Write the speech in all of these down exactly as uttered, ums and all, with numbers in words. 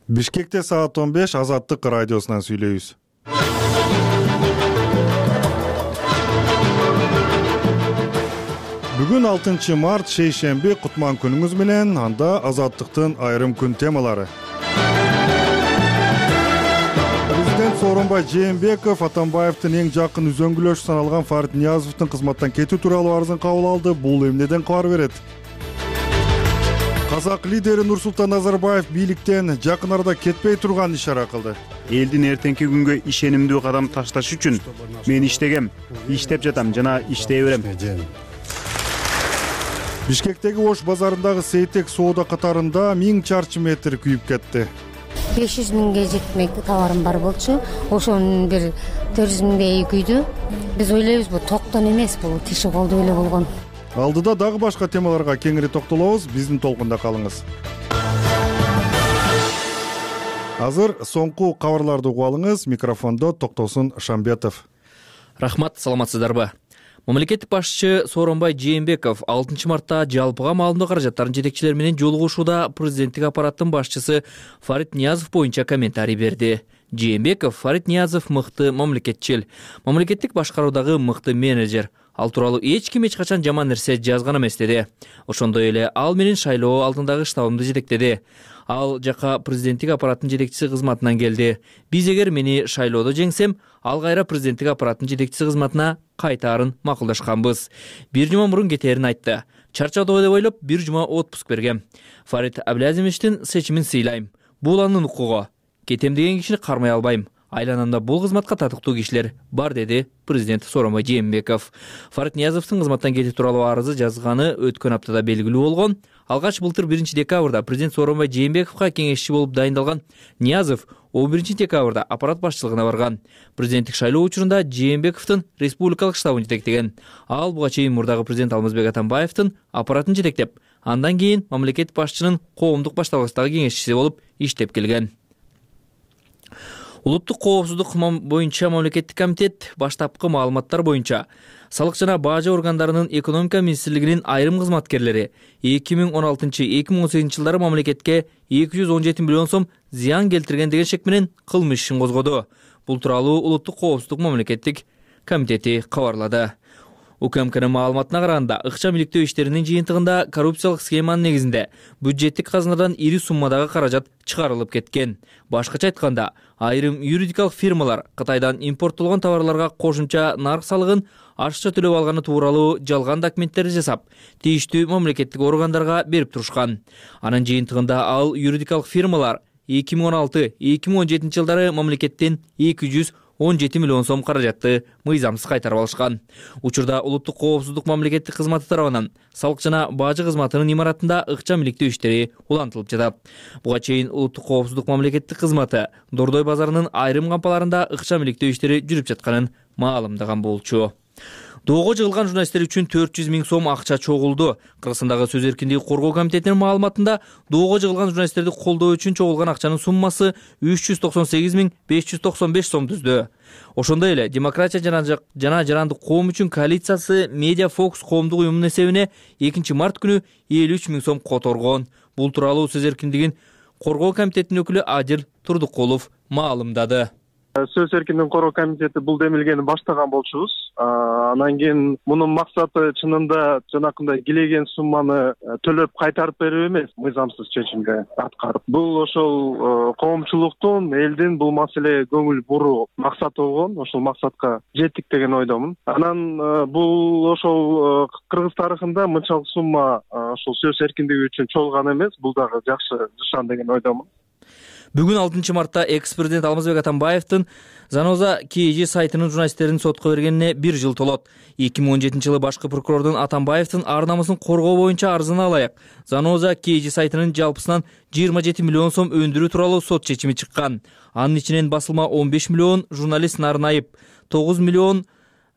Бишкекте саат он беш Азаттык радиосунан сүйлөйбүз. Бүгүн алтынчы март шейшемби, кутман күнүңүз менен. Анда Азаттыктын айрым күн темалары. Президент Сооронбай Жээнбеков Атамбаевдин эң жакын үзөңгүлөшү саналган Фарит Ниязовдун кызматтан кетүү тууралуу арызын кабыл алды. Бул эмнеден кабар берет? Казак лидери Нурсултан Назарбаев бийликтен жакын арада кетпей турган ишара кылды. Элдин эртеңки күнгө ишенимдүү кадам ташташ үчүн мен иштегем, иштеп жатам жана иштей берем. Бишкектеги Ош базарындагы Сейтек соода катарында миң чарчы метр күйүп кетти. беш жүз миңге жетмек товарым бар болчу. Ошонун бир төрт жүз миңдей күйдү. Биз ойлойбуз бул токтон эмес, бул киши колдуу эле болгон. Алдыда дагы башка темаларга кеңири токтолобуз. Биздин толкунда калыңыз. Азыр соңку кабарларды угуп алыңыз. Микрофондо Токтосун Шамбетов. Рахмат, саламатсыздарбы? Мамлекеттик башчы Сооронбай Жээнбеков алтынчы мартта жалпыга маалымдоо каражаттарын жетекчилери менен жолугушууда президенттик аппараттын башчысы Фарит Ниязов боюнча комментарий берди. Жээнбеков Фарит Ниязов мыкты мамлекетчил, мамлекеттик башкаруудагы мыкты менеджер. Ал тууралуу эч ким эч качан жаман нерсе жазган эмес деди. Ошондой эле ал менин шайлоо алдындагы штабымды жетектеди. Ал жака президенттик аппараттын жетекчиси кызматынан келди. Биз эгер мени шайлоодо жеңсем, ал кайра президенттик аппараттын жетекчиси кызматына кайтаарын макулдашканбыз. Бир жума мурун кетээрин айтты. Чарчадыбы деп ойлоп, бир жума отпуск бергем. Фарит Абдылазимовичтин сечимин сыйлайм. Бул анын укугу. Кетем деген кишини кармай албайм. Айланамда бул кызматка татыктуу кишилер бар, деди президент Сооронбай Жээнбеков. Фарит Ниязовдун кызматтан кетүү тууралуу арызы жазганы өткөн аптада белгилүү болгон. Алгач былтыр биринчи декабрда президент Сооронбай Жээнбековго кеңешчи болуп дайындалган Ниязов он биринчи декабрда аппарат башчылыгына барган. Президенттик шайлоо учурунда Жээнбековдун республикалык штабын жетектеген. Ал буга чейин мурдагы президент Алмазбек Атамбаевдин аппаратын жетектеп, андан кийин мамлекет башчынын коомдук башталгычтагы кеңешчиси болуп иштеп келген. Улуттук коопсуздук боюнча мамлекеттик комитет баштапкы маалыматтар боюнча салык жана бажы органдарынын экономика министрлигинин айрым кызматкерлери эки миң он алтынчы — эки миң он сегизинчи жылдары мамлекетке эки жүз он жети миллион сом зыян келтирген деген шек менен кылмыш ишин козгоду. Бул тууралуу Улуттук коопсуздук мамлекеттик комитети кабарлады. УКМКнын маалыматына караганда, ыкчам иликтөө иштеринин жыйынтыгында коррупциялык схеманын негизинде бюджеттик казынадан ири суммадагы каражат чыгарылып кеткен. Башкача айтканда, айрым юридикалык фирмалар Кытайдан импорттолгон товарларга кошумча нарк салыгын ашыкча төлөп алганы тууралуу жалган документтерди жасап, тийиштүү мамлекеттик органдарга берип турушкан. Анын жыйынтыгында ал юридикалык фирмалар эки миң он алты — эки миң он жетинчи жылдары мамлекеттен эки жүз он жети миллион сом каражатты мыйзамсыз кайтарып алышкан. Учурда Улуттук коопсуздук мамлекеттик кызматы тарабынан салык жана бажы кызматынын имаратында ыкчам иликтөө иштери улантылып жатат. Буга чейин Улуттук коопсуздук мамлекеттик кызматы Дордой базарынын айрым кампаларында ыкчам иликтөө иштери жүрүп жатканын маалымдаган болчу. Доого жыгылган журналисттер үчүн төрт жүз миң сом акча чогулду. Кыргызстандагы сөз эркиндиги коргоо комитетинин маалыматында доого жыгылган журналисттерди колдоо үчүн чогулган акчанын суммасы үч жүз токсон сегиз миң беш жүз токсон беш сом түздү. Ошондой эле Демократия жана жана жарандык коом үчүн коалициясы Медиа Фокус коомдук уюмунун эсебине экинчи март күнү элүү үч миң сом которгон. Бул тууралуу сөз эркиндигин коргоо комитетинин өкүлү Адил Турдукулов маалымдады. Сөз эркиндигин коргоо комитети бул демилгени баштаган болчубуз. Анан кийин мунун максаты чынында жанакындай килеген сумманы төлөп кайтарып берүү эмес, мыйзамсыз чечимге аткарып. Бул ошол коомчулуктун, элдин бул маселеге көңүл буруу максаты болгон. Ошол максатка жеттик деген ойдомун. Анан бул ошол Кыргыз тарыхында мынчалык сумма ошол сөз эркиндиги үчүн чогулган эмес. Бул дагы жакшы нышан деген ойдомун. Бүгүн алтынчы мартта экс-президент Алмазбек Атамбаевдин Заноза КЖ сайтынын журналисттерин сотко бергенине бир жыл толот. эки миң он жетинчи жылы башкы прокурордун Атамбаевдин ар намысын коргоо боюнча арызына ылайык Заноза КЖ сайтынын жалпысынан жыйырма жети миллион сом өндүрүү тууралуу сот чечими чыккан. Анын ичинен басылма он беш миллион, журналист Нарын Айып тогуз миллион,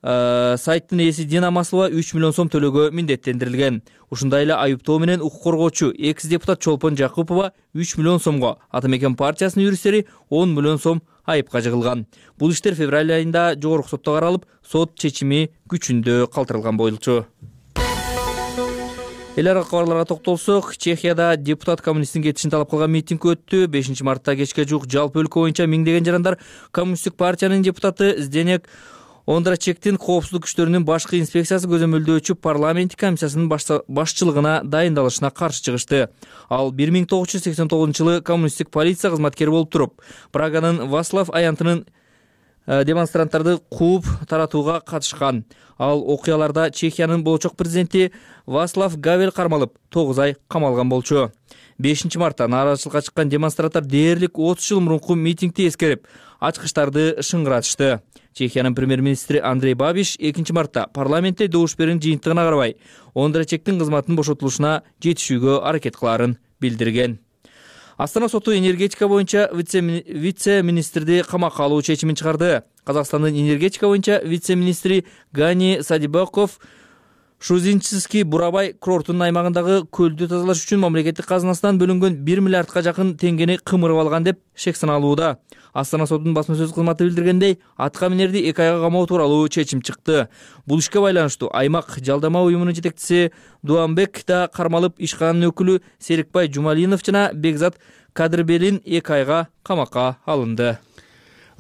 сайттын ээси Дина Маслова үч миллион сом төлөөгө миндеттендирилген. Ушундай эле айыптоо менен укук коргоочу экс-депутат Чолпон Жакупова үч миллион сомго, Ата Мекен партиясынын юристтери он миллион сом айыпка жыгылган. Бул иштер февраль айында жогорку сотто каралып, сот чечими күчүндө калтырылган болчу. эл аралык кабарларга токтолсок, Чехияда депутат коммунисттин кетишин талап кылган митинг өттү. бешинчи мартта кечке жуук жалпы өлкө боюнча миңдеген жарандар коммунисттик партиянын депутаты Зdenek Ондрачектин коопсуздук күчтөрүнүн башкы инспекциясы көзөмөлдөөчү парламенттик комиссиясынын башчылыгына дайындалышына каршы чыгышты. Ал бир миң тогуз жүз сексен тогузунчу жылы коммунисттик полиция кызматкери болуп туруп, Праганын Вацлав аянтынын демонстранттарды кууп таратууга катышкан. Ал окуяларда Чехиянын болочок президенти Вацлав Гавел кармалып, тогуз ай камалган болчу. бешинчи мартта нааразычылыкка чыккан демонстранттар дээрлик отуз жыл мурунку митингди эскерип, ачкычтарды шыңгыратышты. Чехиянын премьер-министри Андрей Бабиш экинчи мартта парламентте добуш берүүнүн жыйынтыгына карабай, Ондрачектин кызматынын бошотулушуна жетишүүгө аракет кылаарын билдирген. Астана соту энергетика боюнча вице-министрди камакка алуу чечимин чыгарды. Казакстандын энергетика боюнча вице-министри Гани Садибаков Шузинчиский Бурабай курортунун аймагындагы көлдү тазалаш үчүн мамлекеттик казынасынан бөлүнгөн бир миллиардка жакын теңгени кымырып алган деп шек саналууда. Астана сотунун басма сөз кызматы билдиргендей, атка минерди эки айга камоо тууралуу чечим чыкты. Бул ишке байланыштуу аймак жалдама уюмунун жетекчиси Дуамбек да кармалып, ишкананын өкүлү Серикбай Жумалинов жана Бекзат Кадырбелин эки айга камакка алынды.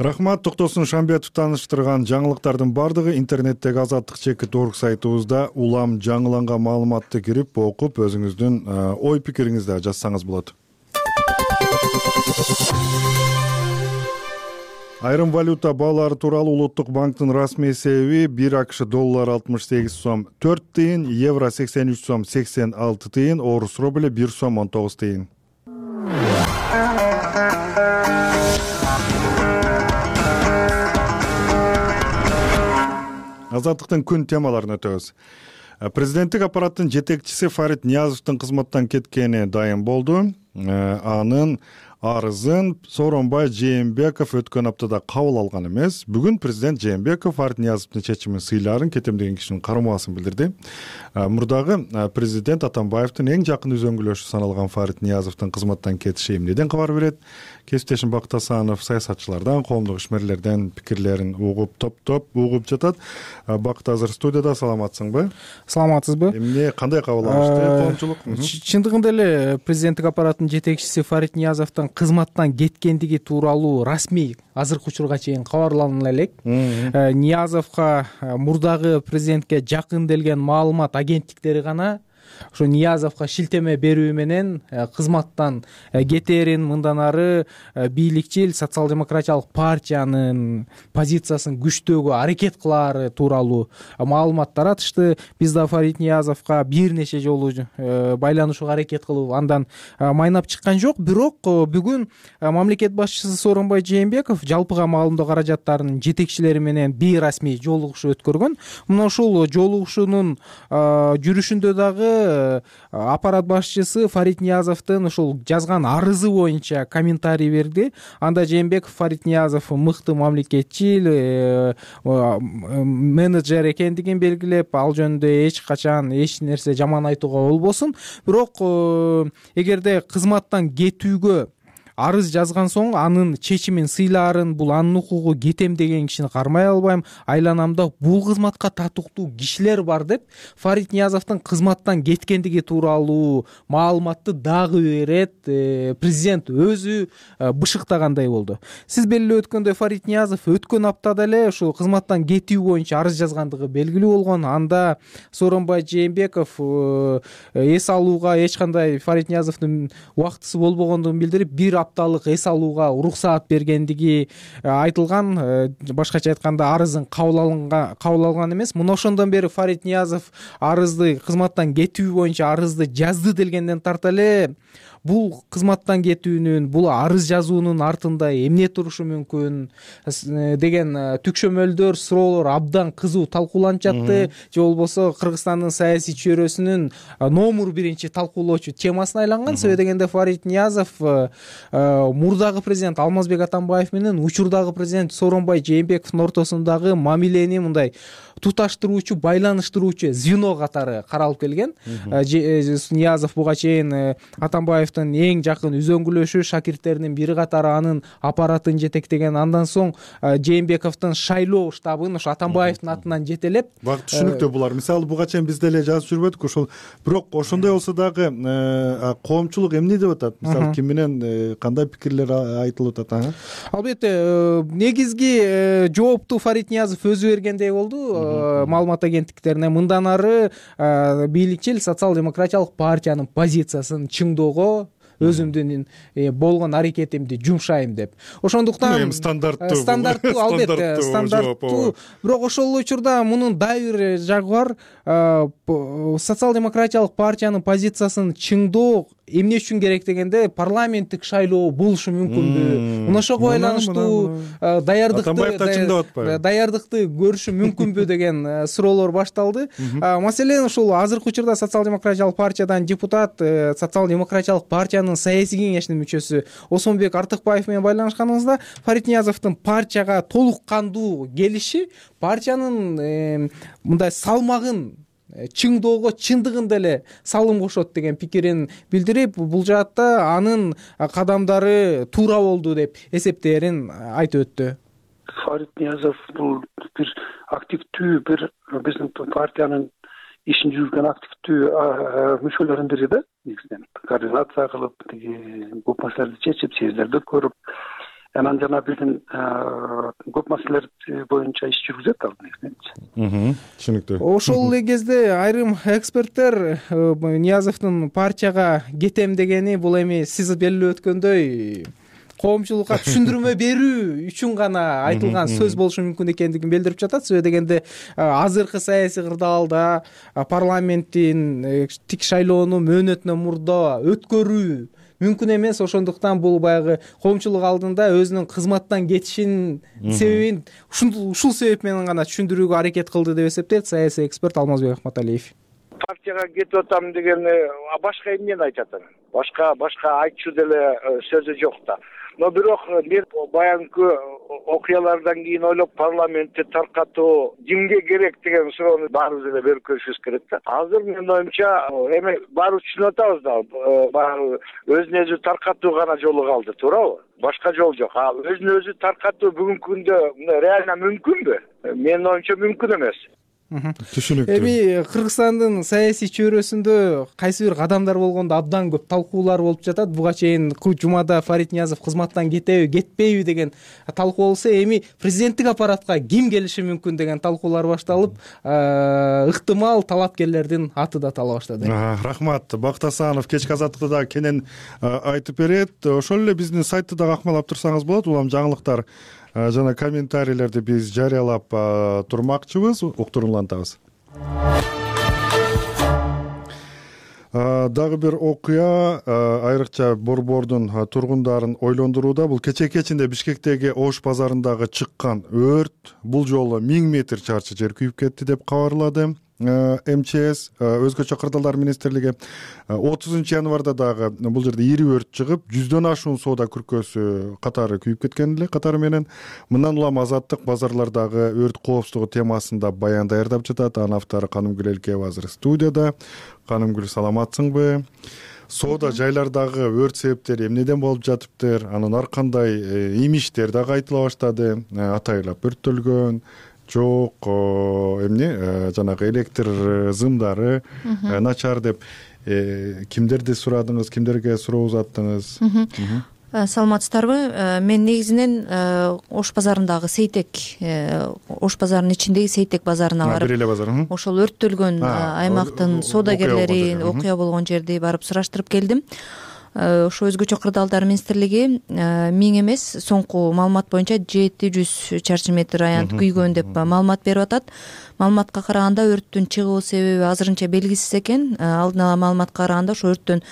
Рахмат, Токтосун Шамбетов тааныштырган жаңылыктардын бардыгы интернеттеги азаттык чекит орг сайтыбызда улам жаңыланган маалыматты кирип окуп, өзүңүздүн ой пикириңизди жазсаңыз болот. Айрым валюта баалары тууралуу Улуттук банктын расмий эсеби бир АКШ доллары алтымыш сегиз сом төрт тыйын, евро сексен үч сом сексен алты тыйын, орус рубль бир сом он тогуз тыйын. Азаттыктын күн темаларын өтөбүз. Президенттик аппараттын жетекчиси Фарид Ниязовдун кызматтан кеткени дайым болду. Анын арызын Сооронбай Жээнбеков өткөн аптада кабыл алган эмес. Бүгүн президент Жээнбеков Фарид Ниязовдун чечимин сыйларын кетемдеген кишинин кармоосын билдирди. Мурдагы президент Атамбаевдин эң жакын үзөңгүлөшү саналган Фарид Ниязовдун кызматтан кетиши эмнеден кабар берет? Кесиптешим Бакыт Асанов саясатчылардан, коомдук ишмерлерден пикирлерин угуп, топ-топ угуп жатат. Бакыт азыр студияда, саламатсыңбы? Саламатсызбы? Эмне, кандай кабыл алышты коомчулук? Чындыгында эле президенттик аппараттын жетекчиси Фарид Ниязовдун кызматтан кеткендиги тууралуу расмий азыркы учурга чейин кабарлана элек. Ниязовго мурдагы президентке жакын делген маалымат агенттиктери гана ошо Ниязовго шилтеме берүү менен кызматтан кетерин, мындан ары бийликчил социал-демократиялык партиянын позициясын күчтөөгө аракет кылаары тууралуу маалымат таратышты. Биз да Фарид Ниязовго бир нече жолу байланышууга аракет кылып, андан майнап чыккан жок. Бирок бүгүн мамлекет башчысы Сооронбай Жээнбеков жалпыга маалымдоо каражаттарынын жетекчилери менен бейрасмий жолугушуу өткөргөн. Мына ушул жолугушуунун жүрүшүндө дагы аппарат башчысы Фарид Ниязовдун ушул жазган арызы боюнча комментарий берди. Анда Жээнбеков Фарид Ниязов мыкты мамлекетчил менеджер экендигин белгилеп, ал жөнүндө эч качан эч нерсе жаман айтууга болбосун. Бирок эгерде кызматтан кетүүгө арыз жазган соң анын чечимин сыйлаарын, бул анын укугу, кетем деген кишини кармай албайм. Айланамда бул кызматка татыктуу кишилер бар деп Фарид Ниязовдун кызматтан кеткендиги тууралуу маалыматты дагы берет. Президент өзү бышыктагандай болду. Сиз белгилеп өткөндөй, Фарид Ниязов өткөн аптада эле ушул кызматтан кетүү боюнча арыз жазгандыгы белгилүү болгон. Анда Сооронбай Жээнбеков эс алууга эч кандай Фарид Ниязовдун убактысы болбогондугун билдирип, бир апталык эс алууга уруксаат бергендиги айтылган. Башкача айтканда, арызын кабыл алынган кабыл алган эмес. Мына ошондон бери Фарид Ниязов арызды, кызматтан кетүү боюнча арызды жазды делгенден тарта эле бул кызматтан кетүүнүн, бул арыз жазуунун артында эмне турушу мүмкүн деген түкшөмөлдөр, суроолор абдан кызуу талкууланып жатты. Же болбосо Кыргызстандын саясий чөйрөсүнүн номер биринчи талкуулоочу темасына айланган. Себеби дегенде Фарид Ниязов мурдагы президент Алмазбек Атамбаев менен учурдагы президент Сооронбай Жээнбековдун ортосундагы мамилени мындай туташтыруучу байланыштыруучу звено катары каралып келген. Ниязов буга чейин Атамбаевдин эң жакын үзөңгүлөшү, шакирттеринин бири катары анын аппаратын жетектеген. Андан соң Жээнбековдун шайлоо штабын ошо Атамбаевдин атынан жетелеп. Бак түшүнүктүү булар. Мисалы буга чейин биз деле жазып жүрбөдүк ошол. Бирок ошондой болсо дагы коомчулук эмне деп атат? Мисалы ким менен кандай пикирлер айтылып атат? Албетте, негизги жоопту Фарид Ниязов өзү бергендей болду маалымат агенттиктерине. Мындан ары бийликчил социал-демократиялык партиянын позициясын чыңдоого өзүмдүн болгон аракетимди жумшайм деп. Ошондуктан стандарттуу стандарттуу албетте стандарттуу. Бирок ошол учурда мунун дагы бир жагы бар. Социал-демократиялык партиянын позициясын чыңдоо эмне үчүн керек дегенде парламенттик шайлоо болушу мүмкүнбү? Мына ошого байланыштуу даярдыкты даярдыкты көрүшү мүмкүнбү деген суроолор башталды. Маселен ушул азыркы учурда социал-демократиялык партиядан депутат, социал-демократиялык партиянын саясий кеңешинин мүчөсү Осмонбек Артыкбаев менен байланышканыбызда Фарид Ниязовдун партияга толук кандуу келиши партиянын мындай салмагын чыңдоого чындыгында эле салым кошот деген пикирин билдирип, бул жаатта анын кадамдары туура болду деп эсептээрин айтып өттү. Фарид Ниязов бул бир активдүү, бир биздин партиянын ишин жүргөн активдүү мүчөлөрүнүн бири да. Негизинен координация кылып, көп маселелерди чечип, съездерди көрүп, анан жана биздин көп маселелер боюнча иш жүргүзөт ал негизинен. Түшүнүктүү. Ошол эле кезде айрым эксперттер Ниязовдун партияга кетем дегени бул эми сиз белгилеп өткөндөй коомчулукка түшүндүрмө берүү үчүн гана айтылган сөз болушу мүмкүн экендигин билдирип жатат. Себеби дегенде азыркы саясий кырдаалда парламенттин тик шайлоону мөөнөтүнөн мурда өткөрүү мүмкүн эмес. Ошондуктан бул баягы коомчулук алдында өзүнүн кызматтан кетишинин себебин ушул себеп менен гана түшүндүрүүгө аракет кылды деп эсептейт саясий эксперт Алмазбек Акматалиев. Партияга кетип атам деген башка эмнени айтат анан? Башка башка айтчу деле сөзү жок да. Но бирок мен баягы окуялардан кийин ойлоп парламентти таркатуу кимге керек деген суроону баарыбыз эле берип көрүшүбүз керек да. Азыр менин оюмча эми баарыбыз түшүнүп атабыз да, баягы өзүн өзү таркатуу гана жолу калды, туурабы? Башка жол жок. А өзүн өзү таркатуу бүгүнкү күндө реально мүмкүнбү? Менин оюмча мүмкүн эмес. Түшүнүктүү. Эми Кыргызстандын саясий чөйрөсүндө кайсы бир кадамдар болгондо абдан көп талкуулар болуп жатат. Буга чейин жумада Фарид Ниязов кызматтан кетеби, кетпейби деген талкуу болсо, эми президенттик аппаратка ким келиши мүмкүн деген талкуулар башталып, ыктымал талапкерлердин аты да тала баштады. Рахмат. Бакыт Асанов кечки азаттыкты дагы кенен айтып берет. Ошол эле биздин сайтты дагы акмалап турсаңыз болот. Улам жаңылыктар жана комментарийлерди биз жарыялап турмакчыбыз, уктуруулантабыз. Дагы бир окуя айрыкча Борбордун тургундарын ойлондурууда. Бул кечээ кечинде Бишкектеги Ош базарындагы чыккан өрт. Бул жолу миң метр чарчы жер күйүп кетти деп кабарлады эм че эс. Өзгөчө кырдаалдар министрлиги отузунчу январда дагы бул жерде ири өрт чыгып, жүздөн ашуун соода күркөсү катары күйүп кеткен эле катары менен. Мындан улам Азаттык базарлардагы өрт коопсуздугу темасында баян даярдап жатат. Анын автору Канымгүл Элкеева азыр студияда. Канымгүл, саламатсыңбы? Соода жайлардагы өрт себептери эмнеден болуп жатыптыр? Анын ар кандай имиштер дагы айтыла баштады. Атайлап өрттөлгөн жок, эмне жанагы электр зымдары начар деп кимдерди сурадыңыз, кимдерге суроо узаттыңыз? Саламатсыздарбы? Мен негизинен Ош базарындагы Сейтек, Ош базарынын ичиндеги Сейтек базарына барып, ошол өрттөлгөн аймактын соодагерлери окуя болгон жерди барып сураштырып келдим. Ошо өзгөчө кырдаалдар министрлиги миң эмес, соңку маалымат боюнча жети жүз чарчы метр аянт күйгөн деп маалымат берип атат. Маалыматка караганда өрттүн чыгуу себеби азырынча белгисиз экен. Алдын ала маалыматка караганда ошо өрттөн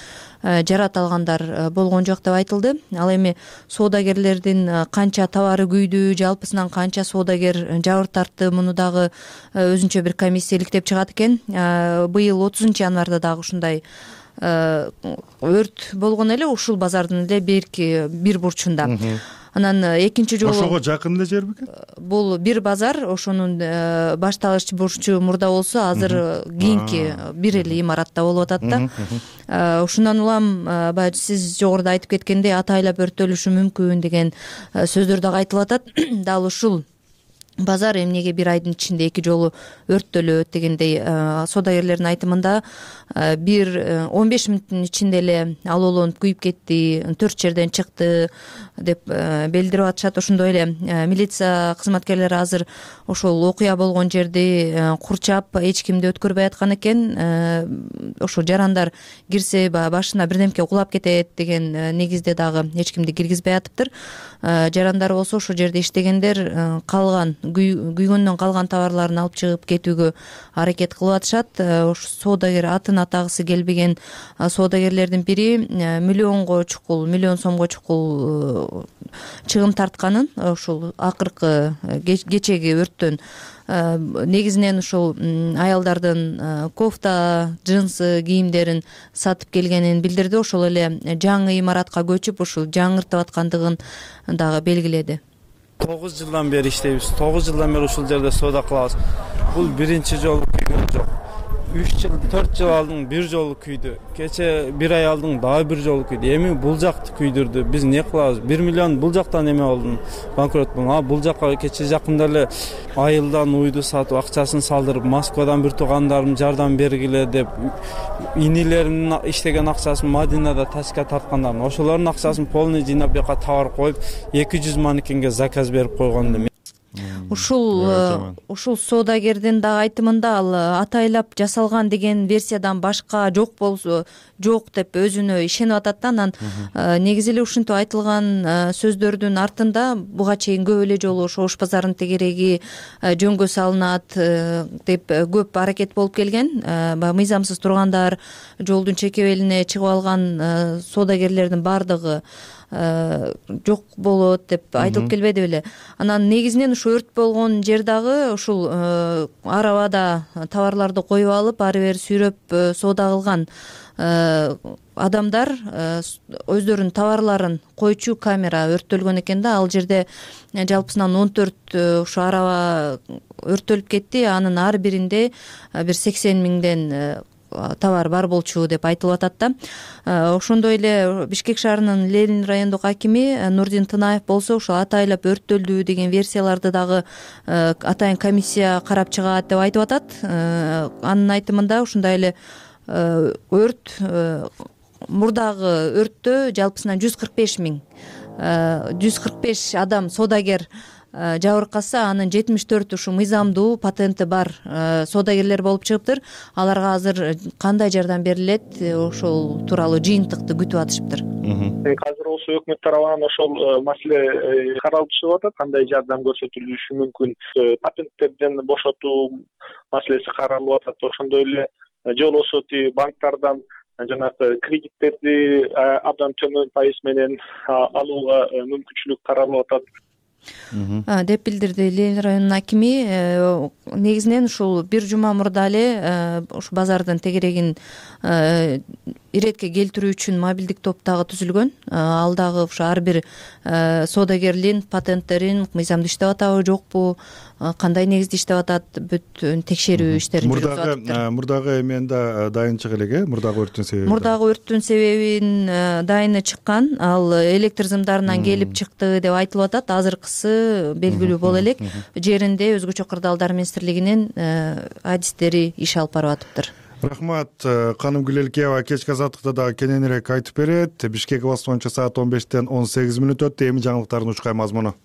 жарат алгандар болгон жок деп айтылды. Ал эми соодагерлердин канча товары күйдү, жалпысынан канча соодагер жабыр тартты, муну дагы өзүнчө бир комиссия иликтеп чыгат экен. Быйыл отузунчу январда дагы ушундай өрт болгон эле ушул базардын эле берки бир бурчунда. Анан экинчи жолу ошого жакын эле жер бекен? Бул бир базар, ошонун башталыш бурчу мурда болсо азыр кийинки бир эле имаратта болуп атат да. Ушундан улам баягы сиз жогоруда айтып кеткендей атайлап өрттөлүшү мүмкүн деген сөздөр дагы айтылып атат. Дал ушул базар эмнеге бир айдын ичинде эки жолу өрттөлөт дегендей соодагерлердин айтымында бир он беш мүнөттүн ичинде эле алоолонуп күйүп кетти, төрт жерден чыкты деп билдирип атышат. Ошондой эле милиция кызматкерлери азыр ошол окуя болгон жерди курчап эч кимди өткөрбөй аткан экен. Ошо жарандар кирсе баягы башына бирдемке кулап кетет деген негизде дагы эч кимди киргизбей атыптыр. Жарандар болсо ошол жерде иштегендер калган күйгөндөн калган товарларын алып чыгып кетүүгө аракет кылып атышат. Ошо соодагер атын атагысы келбеген соодагерлердин бири миллионго чукул, миллион сомго чукул чыгым тартканын ушул акыркы кечеги өрттөн негизинен ушул аялдардын кофта, джинсы кийимдерин сатып келгенин билдирди. Ошол эле жаңы имаратка көчүп ушул жаңыртып аткандыгын дагы белгиледи. тогуз жылдан бери иштейбиз. тогуз жылдан бери ушул жерде соода кылабыз. Бул биринчи жолу күйгөн жок. үч жыл, төрт жыл алдың бир жолу күйдү. Кече бир ай алдың дагы бир жолу күйдү. Эми бул жакты күйдүрдү. Биз не кылабыз? бир миллион бул жактан эме болдум. Банкрот болдум. А бул жакка кече жакында эле айылдан уйду сатып, акчасын салдырып, Москвадан бир туугандарым жардам бергиле деп инилеримдин иштеген акчасын Мадинада ташка тарткандар. Ошолордун акчасын полный жыйнап бияка товар коюп эки жүз манекенге заказ берип койгондум. Ушул ушул соодагердин дагы айтымында ал атайлап жасалган деген версиядан башка жок болсо жок деп өзүнө ишенип атат да. Анан негизи эле ушинтип айтылган сөздөрдүн артында буга чейин көп эле жолу ошо Ош базарынын тегереги жөнгө салынат деп көп аракет болуп келген. Баягы мыйзамсыз тургандар, жолдун чекебелине чыгып алган соодагерлердин баардыгы жок болот деп айтылып келбеди беле. Анан негизинен ушу өрт болгон жер дагы ушул арабада товарларды коюп алып ары бери сүйрөп соода кылган адамдар өздөрүнүн товарларын койчу камера өрттөлгөн экен да. Ал жерде жалпысынан он төрт ушу араба өрттөлүп кетти. Анын ар биринде бир сексен миңден товар бар болчу деп айтылып атат да. Ошондой эле Бишкек шаарынын Ленин райондук акими Нурдин Тынаев болсо ошо атайлап өрттөлдү деген версияларды дагы атайын комиссия карап чыгат деп айтып атат. Анын айтымында ушундай эле өрт мурдагы өрттө жалпысынан жүз кырк беш миң жүз кырк беш адам соодагер жабыркаса, анын жетимиш төртү ушу мыйзамдуу патенти бар соодагерлер болуп чыгыптыр. Аларга азыр кандай жардам берилет, ошол тууралуу жыйынтыкты күтүп атышыптыр. Азыр болсо өкмөт тарабынан ошол маселе каралып чыгып атат. Кандай жардам көрсөтүлүшү мүмкүн, патенттерден бошотуу маселеси каралып атат. Ошондой эле же болбосо банктардан жанагы кредиттерди абдан төмөн пайыз менен алууга мүмкүнчүлүк каралып атат деп билдирди Ленин районунун акими. Негизинен ушул бир жума мурда эле ушу базардын тегерегин иретке келтирүү үчүн мобилдик топ дагы түзүлгөн. Ал дагы ушу ар бир соодагерлин патенттерин мыйзамдуу иштеп атабы жокпу, кандай негизде иштеп атат, бүт текшерүү иштерин жүргүзүп атыптыр. Мурдагы эменде дайынчык элеге, мурдагы өрттүн себеби. Мурдагы өрттүн себебин дайыны чыккан, ал электр сымдарынан келип чыкты деп айтылып атат. Азыркысы белгилүү боло элек. Жеринде өзгөчө кырдаалдар министрлигинин адистери иш алып барып атыптыр. Рахмат. Каным Гүлелкеева кечки азаттыкта дагы кененирээк айтып берет. Бишкек убакыты боюнча саат он бештен он сегиз мүнөт өттү. Эми жаңылыктардын учкай мазмуну.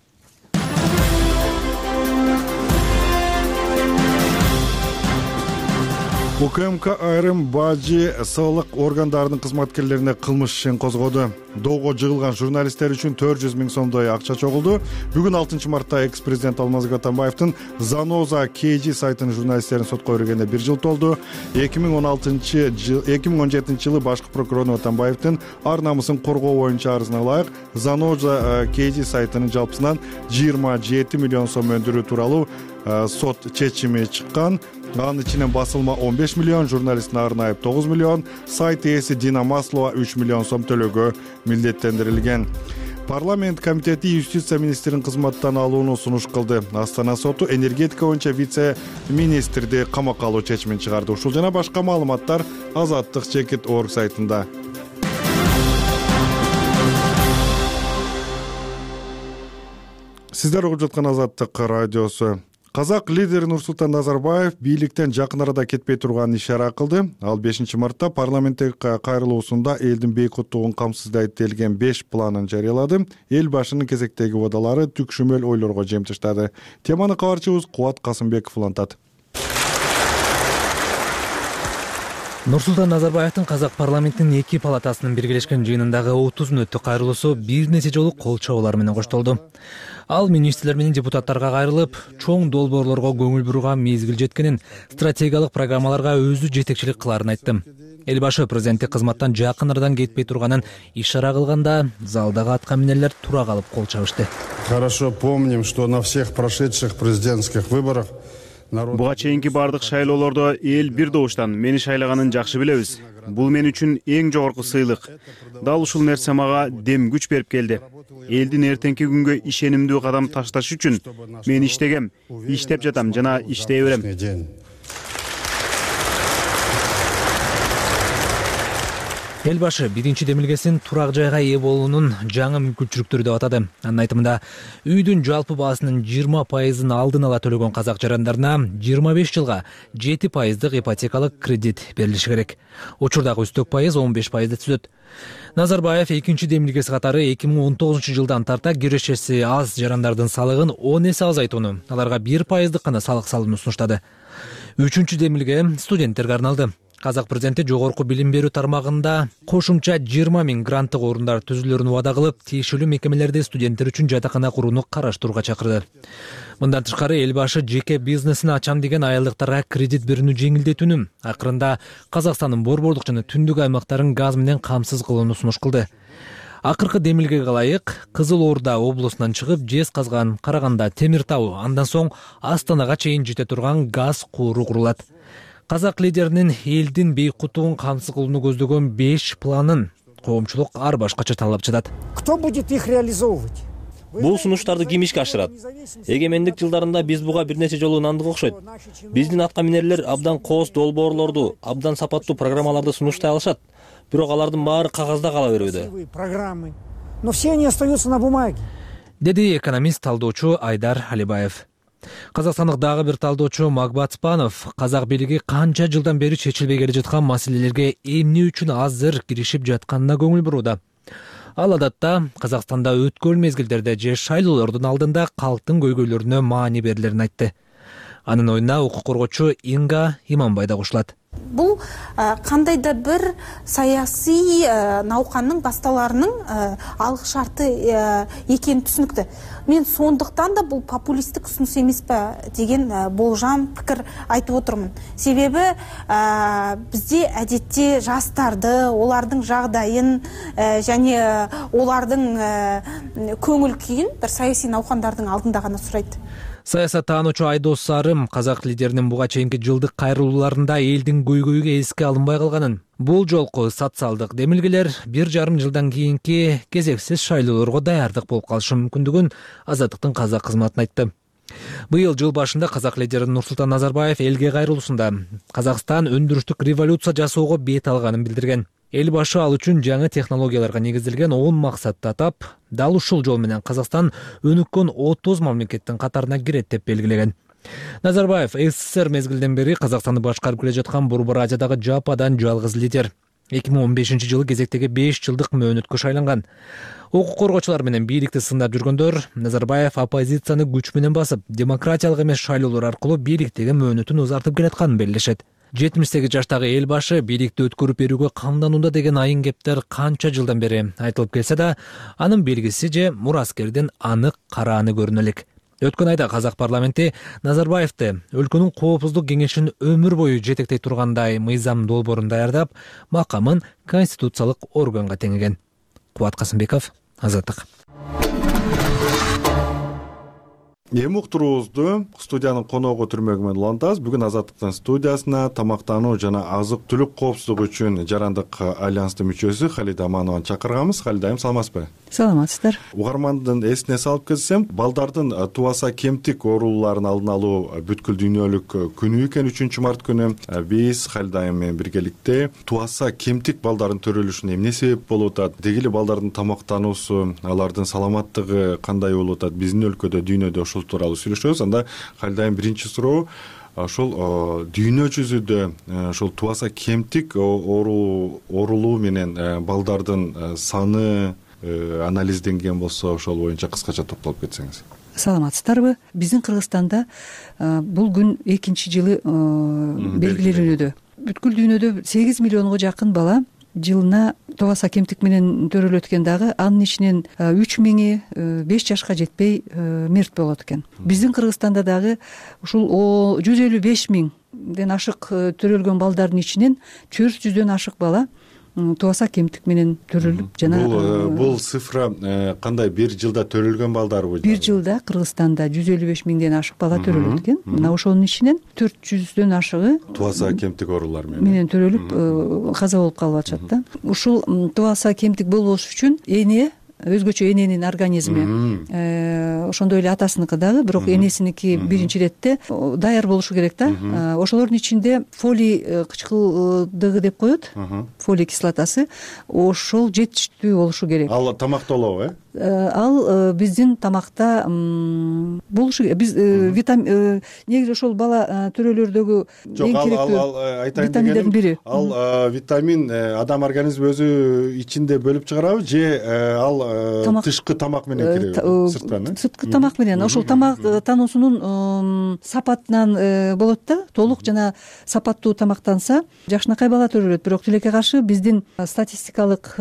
УКМК айрым бажы сылык органдарынын кызматкерлерине кылмыш ишин козгоду. Доого жыгылган журналисттер үчүн төрт жүз миң сомдой акча чогулду. Бүгүн алтынчы мартта экс-президент Алмазбек Атамбаевдин Заноза кей жи сайтынын журналисттерин сотко бергенине бир жыл толду. эки миң он алтынчы жыл эки миң он жетинчи жылы башкы прокурору Атамбаевдин ар намысын коргоо боюнча арызына ылайык Заноза кей жи сайтынын жалпысынан жыйырма жети миллион сом өндүрүү тууралуу сот чечими чыккан. Анын ичинен басылма он беш миллион, журналисттин арын айып тогуз миллион, сайт ээси Дина Маслова үч миллион сом төлөөгө милдеттендирилген. Парламент комитети юстиция министрин кызматтан алууну сунуш кылды. Астана соту энергетика боюнча вице-министрди камакка алуу чечимин чыгарды. Ушул жана башка маалыматтар Азаттык чекит орг сайтында. Сиздер угуп жаткан Азаттык радиосу. Казак лидери Нурсултан Назарбаев бийликтен жакын арада кетпей турганын ишара кылды. Ал бешинчи мартта парламенттеги кайрылуусунда элдин бейкуттугун камсыздайт делген беш планын жарыялады. Эл башынын кезектеги убадалары түкшүмөл ойлорго жемтиштады. Теманы кабарчыбыз Кубат Касымбеков улантат. Нурсултан Назарбаевдин Казак парламентинин эки палатасынын биргелешкен жыйынындагы отуз мүнөттүк кайрылуусу бир нече жолу кол чабуулар менен коштолду. Ал министрлер менен депутаттарга кайрылып, чоң долбоорлорго көңүл бурууга мезгил жеткенин, стратегиялык программаларга өзү жетекчилик кыларын айтты. Эл башы президенттик кызматтан жакын арадан кетпей турганын ишара кылганда, залдагы атка минерлер тура калып кол чабышты. Хорошо помним, что на всех прошедших президентских выборах буга чейинки бардык шайлоолордо эл бир добуштан мени шайлаганын жакшы билебиз. Бул мен үчүн эң жогорку сыйлык. Дал ушул нерсе мага дем күч берип келди. Элдин эртеңки күнгө ишенимдүү кадам ташташ үчүн мен иштегем, иштеп жатам жана иштей берем. Эл башы биринчи демилгесин турак жайга ээ болуунун жаңы мүмкүнчүлүктөрү деп атады. Анын айтымында, үйдүн жалпы баасынын жыйырма пайызын алдын ала төлөгөн казак жарандарына жыйырма беш жылга жети пайыздык ипотекалык кредит берилиши керек. Учурдагы үстөк пайыз он беш пайызды түзөт. Назарбаев экинчи демилгеси катары эки миң он тогузунчу жылдан тарта кирешеси аз жарандардын салыгын он эсе азайтууну, аларга бир пайыздык гана салык салууну сунуштады. Үчүнчү демилге студенттерге арналды. Казак президенти жогорку билим берүү тармагында кошумча жыйырма миң гранттык орундар түзүлөрүн убада кылып, тиешелүү мекемелерде студенттер үчүн жатакана курууну караштырууга чакырды. Мындан тышкары эл башы жеке бизнесин ачам деген аялдыктарга кредит берүүнү жеңилдетүүнү, акырында Казакстандын борбордук жана түндүк аймактарын газ менен камсыз кылууну сунуш кылды. Акыркы демилгеге ылайык Кызыл Орда облусунан чыгып, Жез Казган, Караганда, Темир Тау, андан соң Астанага чейин жете турган газ кууру курулат. Казак лидеринин элдин бейкуттугун камсыз кылууну көздөгөн беш планын коомчулук ар башкача талап жатат. Кто будет их реализовывать? Бул сунуштарды ким ишке ашырат? Эгемендик жылдарында биз буга бир нече жолу ынандык окшойт. Биздин атка минерлер абдан кооз долбоорлорду, абдан сапаттуу программаларды сунуштай алышат. Бирок алардын баары кагазда кала берүүдө. Программы. Но все они остаются на бумаге. Деди экономист талдоочу Айдар Алибаев. Казакстандык дагы бир талдоочу Магбат Спанов казак бийлиги канча жылдан бери чечилбей келе жаткан маселелерге эмне үчүн азыр киришип жатканына көңүл бурууда. Ал адатта Казакстанда өткөн мезгилдерде же шайлоолордун алдында калктын көйгөйлөрүнө маани берилерин айтты. Анын оюна укук коргоочу Инга Иманбай да кошулат. Бул кандайда бир саясий науканын башталарынын алгы шарты экени түшүнүктүү. Мен сондуктан да бул популисттик сунуш эмеспи деген болжам пикир айтып отурмун. Себеби бизде адетте жаштарды, олардын жагдайын жана олардын көңүл күйүн бир саясий наукандардын алдында гана сурайт. Саясаттануучу Айдос Сарым казак лидеринин буга чейинки жылдык кайрылууларында элдин көйгөйгө эске алынбай калганын, бул жолку социалдык демилгелер бир жарым жылдан кийинки кезексиз шайлоолорго даярдык болуп калышы мүмкүндүгүн Азаттыктын казак кызматын айтты. Быйыл жыл башында казак лидери Нурсултан Назарбаев элге кайрылуусунда Казакстан өндүрүштүк революция жасоого бет алганын билдирген. Эл башы ал үчүн жаңы технологияларга негизделген он максатты атап, дал ушул жол менен Казакстан өнүккөн отуз мамлекеттин катарына кирет деп белгилеген. Назарбаев СССР мезгилден бери Казакстанды башкарып келе жаткан Борбор Азиядагы жападан жалгыз лидер. эки миң он бешинчи жылы кезектеги беш жылдык мөөнөткө шайланган. Укук коргоочулар менен бийликти сындап жүргөндөр Назарбаев оппозицияны күч менен басып, демократиялык эмес шайлоолор аркылуу бийликтеги мөөнөтүн узартып келатканын белгилешет. жетимиш сегиз жаштагы эл башы бийликти өткөрүп берүүгө камданууда деген айын кептер канча жылдан бери айтылып келсе да, анын белгиси же мураскердин анык карааны көрүнө элек. Өткөн айда казак парламенти Назарбаевди өлкөнүн коопсуздук кеңешин өмүр бою жетектей тургандай мыйзам долбоорун даярдап, макамын конституциялык органга теңеген. Кубат Касымбеков, Азаттык. эми уктуруубузду студиянын коногу Түрмөгү менен улантабыз. Бүгүн Азаттыктын студиясына тамактануу жана азык түлүк коопсуздугу үчүн жарандык альянстын мүчөсү Халида Аманованы чакырганбыз. Халида айым, саламатсызбы? Саламатсыздар. Угармандын эсине салып кетсем, балдардын тубаса кемтик оорулууларын алдын алуу бүткүл дүйнөлүк күнү экен, үчүнчү март күнү. Биз Халида айым менен биргеликте тубаса кемтик балдардын төрөлүшүнө эмне себеп болуп атат, деги эле балдардын тамактануусу, алардын саламаттыгы кандай болуп атат, биздин өлкөдө, дүйнөдө ошол тууралуу сүйлөшөбүз. Анда Халида айым, биринчи суроо, ошол дүйнө жүзүндө ошол тубаса кемтик оорулуу менен балдардын саны анализденген болсо, ошол боюнча кыскача токтолуп кетсеңиз. Саламатсыздарбы? Биздин Кыргызстанда бул күн экинчи жылы белгиленүүдө. Бүткүл дүйнөдө сегиз миллионго жакын бала жылына тубаса кемтик менен төрөлөт экен, дагы анын ичинен үч миңи беш жашка жетпей мерт болот экен. Биздин Кыргызстанда дагы ушул жүз элүү беш миңден ашык төрөлгөн балдардын ичинен төрт жүздөн ашык бала тубаса кемтик менен төрөлүп жана бул бул цифра кандай, бир жылда төрөлгөн балдарбы? Бир жылда Кыргызстанда жүз элүү беш миңден ашык бала төрөлөт экен. Мына ошонун ичинен төрт жүздөн ашыгы тубаса кемтик оорулар менен менен төрөлүп каза болуп калып атышат да. Ушул тубаса кемтик болбош үчүн эне, өзгөчө эненин организми, ошондой эле атасыныкы дагы, бирок энесиники биринчи иретте даяр болушу керек да. Ошолордун ичинде фолий кычкылдыгы деп коет, фолий кислотасы, ошол жетиштүү болушу керек. Ал тамактолобу, э? Ал биздин тамакта болушу керек. Биз витамин, негизи ошол бала төрөлөрдөгү эң керектүү витаминдердин бири. Ал витамин адам организми өзү ичинде бөлүп чыгарабы, же ал тышкы тамак менен киреби, сырткан? Сырткы тамак менен. Ошол тамак тануусунун сапатынан болот да. Толук жана сапаттуу тамактанса жакшынакай бала төрөлөт. Бирок тилекке каршы биздин статистикалык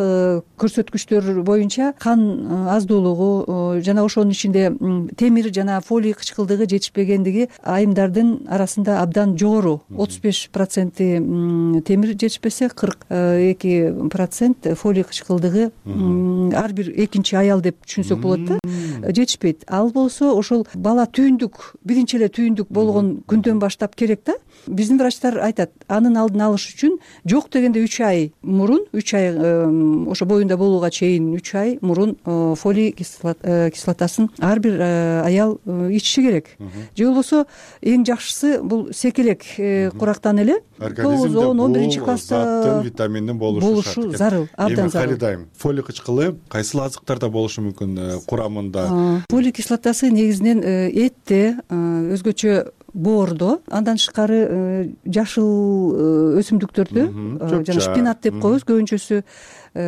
көрсөткүчтөр боюнча кан аздуулугу жана ошонун ичинде темир жана фолий кычкылдыгы жетишпегендиги айымдардын арасында абдан жогору. отуз беш проценти темир жетишпесе, кырк эки процент фолий кычкылдыгы ар бир экинчи аял деп түшүнсөк болот да, жетишпейт. Ал болсо ошол бала түйүндүк, биринчи эле түйүндүк болгон күндөн баштап керек да. Биздин врачтар айтат, анын алдын алыш үчүн жок дегенде үч ай мурун, үч ай ошо боюнда болууга чейин үч ай мурун фолий кислотасын ар бир аял ичиши керек. Же болбосо эң жакшысы бул секелек курактан эле тогуз он он биринчи класста витаминдин болушу зарыл, абдан зарыл. Халидайым, фолий кычкылы кайсыл азыктарда болушу мүмкүн курамында? Фолий кислотасы негизинен этте, өзгөчө боордо, андан тышкары жашыл өсүмдүктөрдө, жана шпинат деп коебуз көбүнчөсү,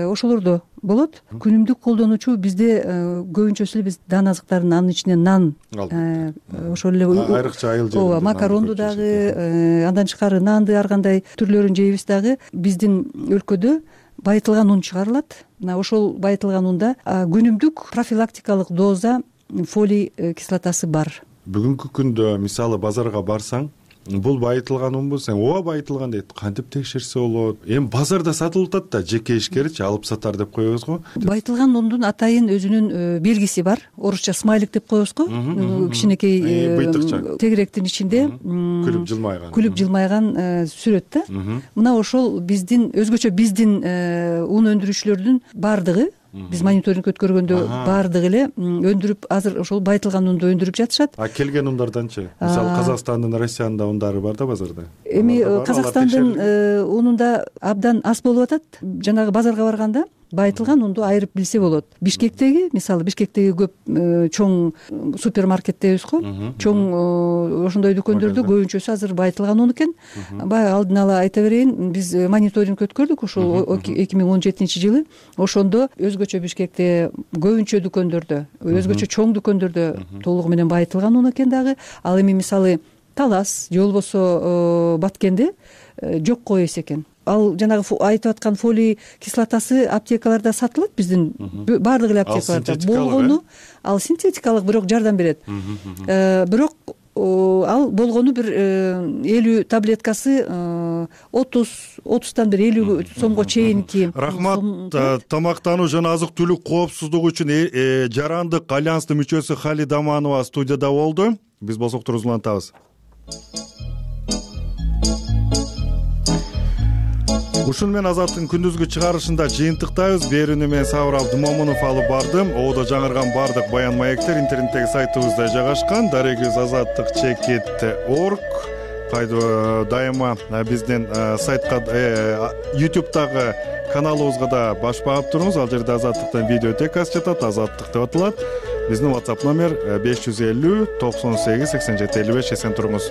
ошолордо болот. Күнүмдүк колдонуучу бизде көбүнчөсү эле биз дан азыктарын, анын ичинен нан, ошол эле айрыкча айыл жеринде ооба, макаронду дагы, андан тышкары нанды ар кандай түрлөрүн жейбиз дагы. Биздин өлкөдө байытылган ун чыгарылат. Мына ошол байытылган унда күнүмдүк профилактикалык доза фолий кислотасы бар. Бүгүнкү күндө мисалы базарга барсаң, бул байытылган унбу, сен ооба байытылган дейт, кантип текшерсе болот? Эми базарда сатылып атат да, жеке ишкерчи алып сатар деп коебуз го. Байытылган ундун атайын өзүнүн белгиси бар. Орусча смайлик деп коебуз го. Кичинекей тегеректин ичинде күлүп жылмайган, күлүп жылмайган сүрөт да. Мына ошол биздин, өзгөчө биздин ун өндүрүүчүлөрдүн бардыгы, биз мониторинг өткөргөндө баардыгы эле өндүрүп, азыр ошол байытылган унду өндүрүп жатышат. А келген ундарданчы? Мисалы Казакстандын, Россиянын да ундары бар да базарда? Эми Казакстандын унунда абдан аз болуп атат. Жанагы базарга барганда байытылган унду айырып билсе болот. Бишкектеги, мисалы Бишкектеги көп чоң супермаркет дейбиз го, чоң ошондой дүкөндөрдө көбүнчөсү азыр байытылган ун экен. Баягы алдын ала айта берейин, биз мониторинг өткөрдүк ошол эки миң он жетинчи жылы. Ошондо өзгөчө Бишкекте көбүнчө дүкөндөрдө, өзгөчө чоң дүкөндөрдө толугу менен байытылган ун экен дагы. Ал эми мисалы Талас же болбосо Баткенде жокко эс экен. Ал жанагы айтып аткан фолий кислотасы аптекаларда сатылат, биздин баардык эле аптекаларда болгону. Ал синтетикалык, бирок жардам берет. Бирок ал болгону бир элүү таблеткасы отуз отуздан бир элүү сомго чейинки. Рахмат. Тамактануу жана азык түлүк коопсуздугу үчүн жарандык альянстын мүчөсү Халида Аманова студияда болду. Биз болсок туруп улантабыз. Ушун менен Азаттын күндүзгү чыгарышында жыйынтыктайбыз. Берүүнү мен Сабыр Абдымомунов алып бардым. Оодо жаңырган бардык баян маектер интернеттеги сайтыбызда жайгашкан. Дарегиз азаттык чекит орг. Кайда дайыма биздин сайтка ютубтагы каналыбызга да баш багып туруңуз. Ал жерде Азаттыктын видеотекасы жатат, Азаттык деп аталат. Биздин WhatsApp номер беш жүз элүү токсон сегиз сексен жети элүү беш. Эсен туруңуз.